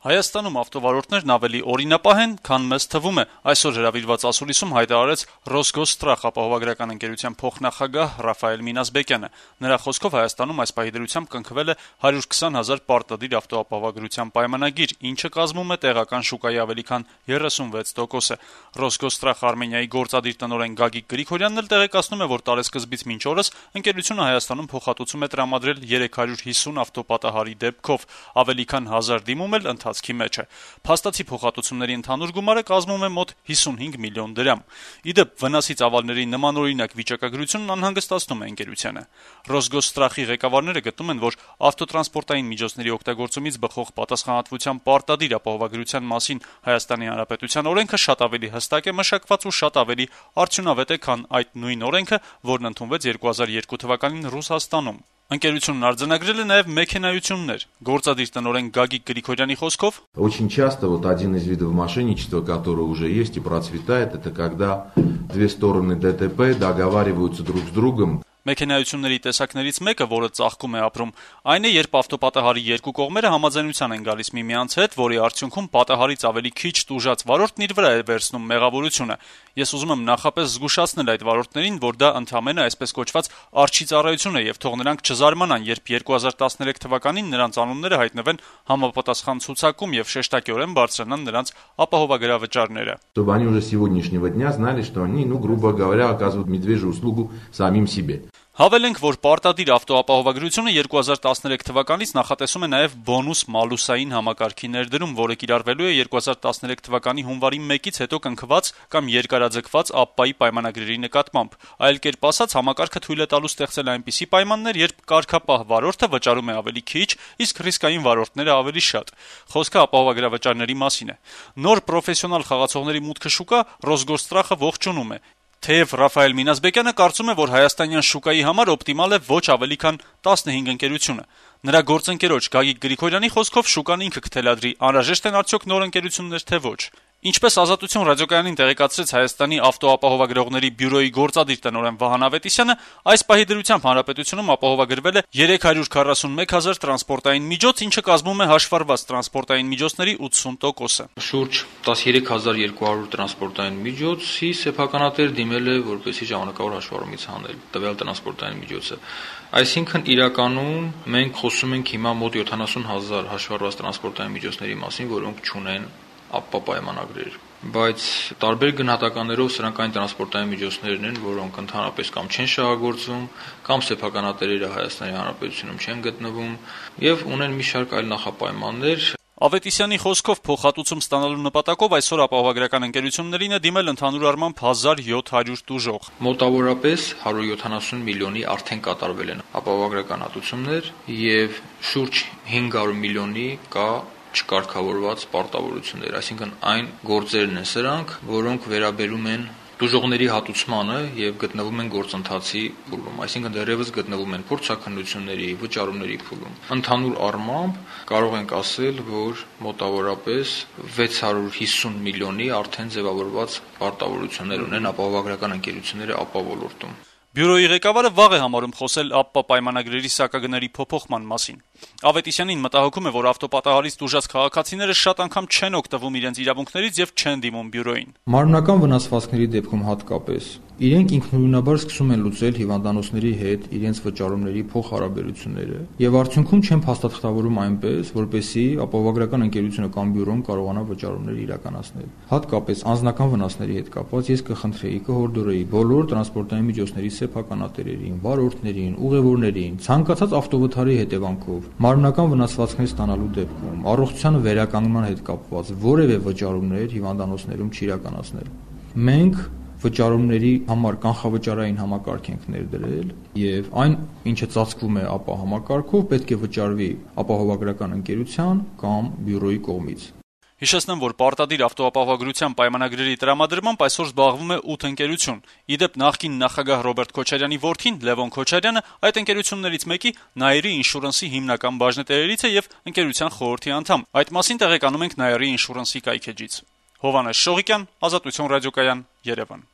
Հայաստանում ավտովարորդներն ավելի օրինապահ են, քան մեզ թվում է, այսօր հրավիրված ասուլիսում հայտարարեց «Ռոսգոստրախ» ապահովագրական ընկերության փոխնախագահ Ռաֆայել Մինասբեկյանը։ Նրա խոսքով Հայաստանում այս պահի դրությամբ կնքվել է 120 000 պարտադիր ավտոապահովագրության պայմանագիր, ինչը կազմում է տեղական շուկայի ավելի քան 36%-ը։ «Ռոսգոստրախ Արմենիայի» գործադիր տնօրեն Գագիկ Գրիգորյանն էլ տեղեկացնում է, որ տարեսկզբից մինչ օրս ընկերությունը Հայաստանում փոխհատուցում է տրամադրել 350 ավտոպատահարի դեպքով, ավելի քան 1000 դիմում էլ ընթացքի մեջ է։ Փաստացի փոխհատուցումների ընդհանուր գումարը կազմում է մոտ 55 միլիոն դրամ։ Ի դեպ, վնասից ավալների նմանօրինակ վիճակագրությունն անհանգստացնում է ընկերությանը։ «Ռոսգոստրախի» ղեկավարները գտնում են, որ ավտոտրանսպորտային միջոցների օգտագործումից բխող պատասխանատվության պարտադիր ապահովագրության մասին Հայաստանի Հանրապետության օրենքը շատ ավելի հստակ է մշակված ու շատ ավելի արդյունավետ է, քան այդ նույն օրենքը, որն ընդունվեց 2002 թվականին Ռուսաստանում։ Ընկերությունն արձանագրել է նաև մեքենայություններ։ Գործադիր տնօրեն Գագիկ Գրիգորյանի խոսքով. Очень часто один из видов мошенничества, который уже есть и процветает, это когда две стороны ДТП договариваются друг с другом. Մեքենայությունների տեսակներից մեկը, որը ծաղկում է ապրում, այն է, երբ ավտոպատահարի երկու կողմերը համաձայնության են գալիս միմյանց հետ, որի արդյունքում պատահարից ավելի քիչ տուժած վարորդն իր վրա է վերցնում մեղավորությունը։ Ես ուզում եմ նախապես զգուշացնել այդ վարորդներին, որ դա ընդամենը այսպես կոչված արջի ծառայություն է եւ թող նրանք չզարմանան, երբ 2013 թվականին նրանց անունները հայտնվեն համապատասխան ցուցակում եւ շեշտակիորեն բարձրանան նրանց ապահովագրավճարները։ Чтобы они уже с сегодняшнего дня знали, что они, грубо говоря, оказывают медвежью услугу самим себе. Հավելենք, որ պարտադիր ավտոապահովագրությունը 2013 թվականից նախատեսում է նաև բոնուս-մալուսային համակարգի ներդրում, որը կիրառվելու է 2013 թվականի հունվարի 1-ից հետո կնքված կամ երկարաձգված ԱՊՊԱ-ի պայմանագրերի նկատմամբ։ Այլ կերպ ասած, համակարգը թույլ է տալու ստեղծել այնպիսի պայմաններ, երբ կարգապահ վարորդը վճարում է ավելի քիչ, իսկ ռիսկային վարորդները ավելի շատ։ Խոսքը ապահովագրավճարների մասին է։ Նոր պրոֆեսիոնալ խաղացողների մուտքը շուկա Ռոսգոստրախը ողջունում է։ Թեև Ռաֆայել Մինասբեկյանը կարծում է, որ հայաստանյան շուկայի համար օպտիմալ է ոչ ավելի քան 15 ընկերությունը։ Նրա գործընկերոջ Գագիկ Գրիգորյանի խոսքով շուկան ինքը կթելադրի, անհրաժեշտ են արդյոք նոր ընկերություններ, թե ոչ։ Ինչպես «Ազատություն» ռադիոկայանին տեղեկացրեց Հայաստանի ավտոապահովագրողների բյուրոյի գործադիր տնօրեն Վահան Ավետիսյանը, այս պահի դրությամբ հանրապետությունում ապահովագրվել է 341 000 տրանսպորտային միջոց, ինչը կազմում է հաշվառված տրանսպորտային միջոցների 80%-ը։ Շուրջ 13200 տրանսպորտային միջոցի սեփականատեր դիմել է, որպեսզի ժամանակավոր հաշվառումից հանել տվյալ տրանսպորտային միջոցը։ Այսինքն իրականում մենք խոսում ենք հիմա մոտ 70 000 հաշվառված տրանսպորտային միջոցների մասին, որոնք չունեն ԱՊՊԱ պայմանագրեր, բայց տարբեր գնահատականներով սրանք այն տրանսպորտային միջոցներն են, որոնք ընդհանրապես կամ չեն շահագործվում, կամ սեփականատերերը Հայաստանի Հանրապետությունում չեն գտնվում եւ ունեն մի շարք այլ նախապայմաններ։ Ավետիսյանի խոսքով փոխհատուցում ստանալու նպատակով այսօր ապահովագրական ընկերություններին է դիմել ընդհանուր առմամբ 1700 տուժող։ Մոտավորապես 170 միլիոնի արդեն կատարվել են ապահովագրական հատուցումներ եւ շուրջ 500 միլիոնի կա չկարգավորված պարտավորություններ, այսինքն այն գործերն են սրանք, որոնք վերաբերում են տուժողների հատուցմանը եւ գտնվում են գործընթացի փուլում, այսինքն դեռևս գտնվում են փորձաքննությունների, վճարումների փուլում։ Ընդհանուր առմամբ կարող ենք ասել, որ մոտավորապես 650 միլիոնի արդեն ձևավորված պարտավորություններ ունեն ապահովագրական ընկերությունները ԱՊՊԱ ոլորտում։ Բյուրոյի ղեկավարը վաղ է համարում խոսել ԱՊՊԱ պայմանագրերի սակագների փոփոխման մասին։ Ավետիսյանին մտահոգում է, որ ավտոպատահարից տուժած քաղաքացիները շատ անգամ չեն օգտվում իրենց իրավունքներից եւ չեն դիմում բյուրոյին։ Մարմնական վնասվածքների դեպքում հատկապես իրենք ինքնուրույնաբար սկսում են լուծել հիվանդանոցների հետ իրենց վճարումների փոխհարաբերությունները եւ արդյունքում չեն փաստաթղթավորում այնպես, որպեսզի ապահովագրական ընկերությունը կամ բյուրոն կարողանա վճարումներ իրականացնել։ Հատկապես անձնական վնասների հետ կապված ես կխնդրեի, կհորդորեի բոլոր տրանսպորտային միջոցների սեփականատերերին, վարորդներին, ուղևորներին, ցանկացած ավտովթարի հետևանքով մարմնական վնասվածքներ ստանալու դեպքում առողջության վերականգնման հետ կապված որևէ վճարումներ հիվանդանոցներում չիրականացնել։ Մենք վճարումների համար կանխավճարային համակարգ ենք ներդրել եւ այն, ինչը ծածկվում է ԱՊՊԱ համակարգով, պետք է վճարվի ապահովագրական ընկերության կամ բյուրոյի կողմից։ Հիշեցնեմ, որ պարտադիր ավտոապահովագրության պայմանագրերի տրամադրմամբ այսօր զբաղվում է 8 ընկերություն։ Ի դեպ, նախկին նախագահ Ռոբերտ Քոչարյանի որդին Լևոն Քոչարյանը այդ ընկերություններից մեկի Նաիրի ինշուրենսի հիմնական բաժնետերերից է եւ ընկերության խորհրդի անդամ։ Այդ մասին տեղեկանում ենք Նաիրի ինշուրենսի կայքեջից։ Հովհաննես Շողիկյան, Ազատություն ռադիոկայան, Երևան։